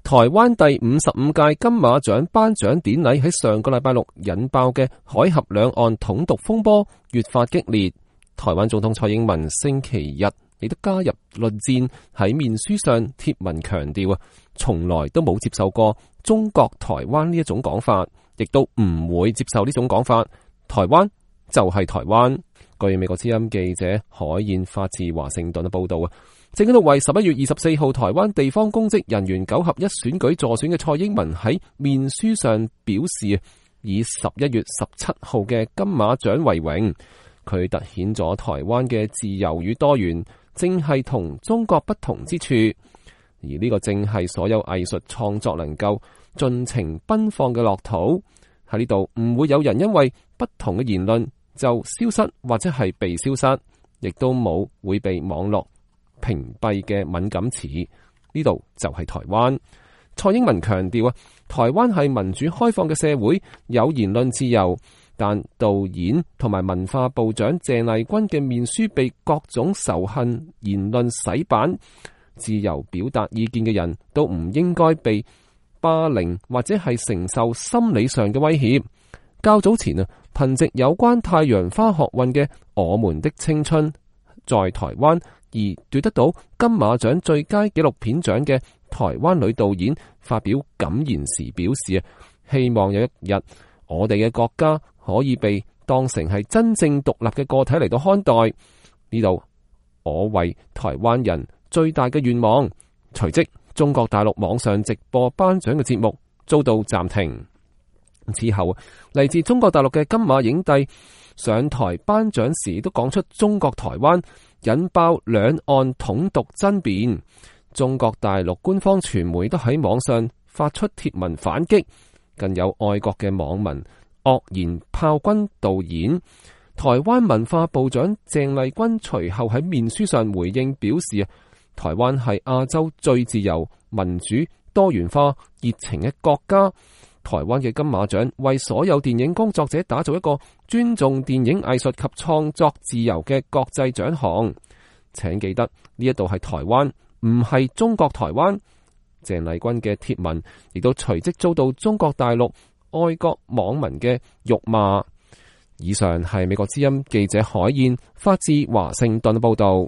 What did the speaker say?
台灣第55屆金馬獎頒獎典禮喺上個禮拜六引爆嘅海峽兩岸統獨風波越發激烈。台灣總統蔡英文星期日亦都加入論戰，喺面書上貼文強調從來都冇接受過中國台灣呢一種講法，亦都唔會接受呢種講法。台灣就係台灣。據美國之音記者海燕發自華盛頓嘅報道正喺度為11月24號台灣地方公職人員9合1選舉助選嘅蔡英文喺面書上表示，以11月17號嘅金馬獎為榮。佢凸顯咗台灣嘅自由與多元，正係同中國不同之處，而呢個正係所有藝術創作能夠盡情奔放嘅樂土。喺呢度唔會有人因為不同嘅言論就消失或者係被消失，亦都冇會被網絡屏蔽嘅敏感詞。呢度就係台灣。蔡英文強調台灣係民主開放嘅社會，有言論自由。但導演同埋文化部長鄭麗君嘅面書被各種仇恨言論洗版，自由表達意見嘅人都唔應該被霸凌或者係承受心理上嘅威脅。較早前憑藉有關太陽花學運嘅《我們的青春》在台灣而奪得到金馬獎最佳紀錄片獎嘅台灣女導演發表感言時表示，希望有一日我哋嘅國家可以被當成係真正獨立嘅個體嚟到看待。呢度我為台灣人最大嘅願望。隨即中國大陸網上直播頒獎嘅節目遭到暫停。之後嚟自中國大陸嘅金馬影帝上台頒獎時都講出中國台灣，引爆兩岸統獨爭辯。中國大陸官方傳媒都喺網上發出貼文反擊，更有愛國嘅網民惡言炮轟導演。台灣文化部長鄭麗君隨後喺面書上回應表示，台灣係亞洲最自由、民主、多元化、熱情嘅國家。台灣嘅金馬獎為所有電影工作者打造一個尊重電影藝術及創作自由嘅國際獎項。請記得呢一度係台灣，唔係中國台灣。鄭麗君嘅貼文亦都隨即遭到中國大陸愛國網民嘅辱罵。以上係美國之音記者海燕發自華盛頓報道。